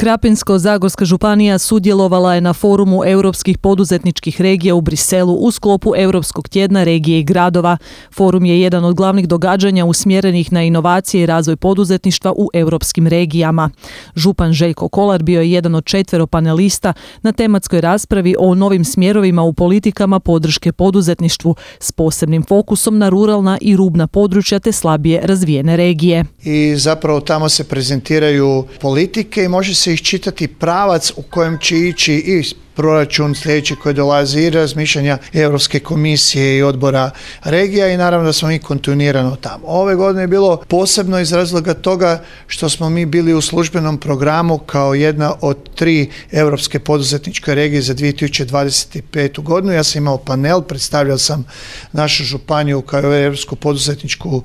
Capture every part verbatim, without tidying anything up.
Krapinsko-zagorska županija sudjelovala je na forumu europskih poduzetničkih regija u Briselu u sklopu Europskog tjedna regije i gradova. Forum je jedan od glavnih događanja usmjerenih na inovacije i razvoj poduzetništva u europskim regijama. Župan Željko Kolar bio je jedan od četvero panelista na tematskoj raspravi o novim smjerovima u politikama podrške poduzetništvu s posebnim fokusom na ruralna i rubna područja te slabije razvijene regije. I zapravo tamo se prezentiraju politike i može se iščitati pravac u kojem će ići i proračun sljedeći koji dolazi i razmišljanja Europske komisije i odbora regija i naravno da smo mi kontinuirano tamo. Ove godine je bilo posebno iz razloga toga što smo mi bili u službenom programu kao jedna od tri europske poduzetničke regije za dvije tisuće dvadeset petu godinu. Ja sam imao panel, predstavljao sam našu županiju kao europsku poduzetničku uh,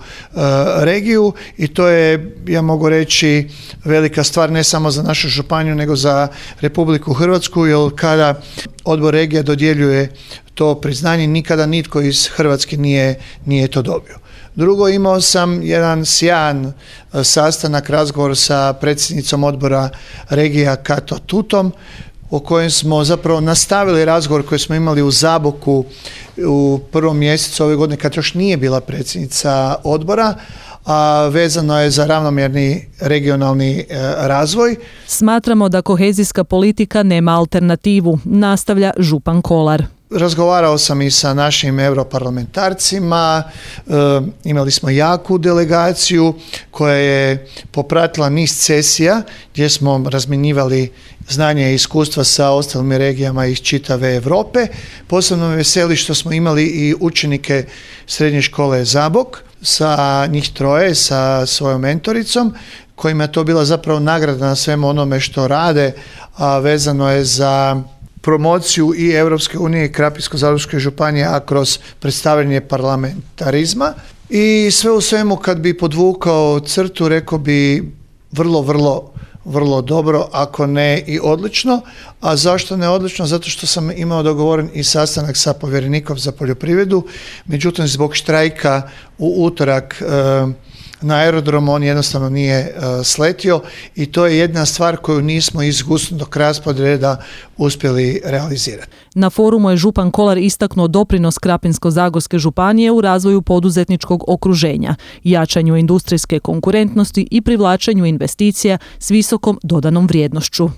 regiju i to je, ja mogu reći, velika stvar ne samo za našu županiju nego za Republiku Hrvatsku, jer kada odbor regija dodjeljuje to priznanje, nikada nitko iz Hrvatske nije, nije to dobio. Drugo, imao sam jedan sjajan sastanak, razgovor sa predsjednicom odbora regija Kato Tutom, o kojem smo zapravo nastavili razgovor koji smo imali u Zaboku u prvom mjesecu ove godine kad još nije bila predsjednica odbora, a vezano je za ravnomjerni regionalni e, razvoj. Smatramo da kohezijska politika nema alternativu, nastavlja župan Kolar. Razgovarao sam i sa našim europarlamentarcima, e, imali smo jaku delegaciju koja je popratila niz sesija gdje smo razmjenjivali znanje i iskustva sa ostalim regijama iz čitave Europe. Posebno me veseli što smo imali i učenike srednje škole Zabok, sa njih troje, sa svojom mentoricom, kojima je to bila zapravo nagrada na svemu onome što rade, a vezano je za promociju i Europske unije i Krapinsko-zagorske županije, a kroz predstavljanje parlamentarizma. I sve u svemu, kad bi podvukao crtu, rekao bi vrlo, vrlo vrlo dobro, ako ne i odlično. A zašto ne odlično? Zato što sam imao dogovoren i sastanak sa povjerenikom za poljoprivredu, međutim zbog štrajka u utorak e, na aerodromu on jednostavno nije e, sletio i to je jedna stvar koju nismo iz gusnog rasporeda uspjeli realizirati. Na forumu je župan Kolar istaknuo doprinos Krapinsko-zagorske županije u razvoju poduzetničkog okruženja, jačanju industrijske konkurentnosti i privlačenju investicija s visokom dodanom vrijednošću.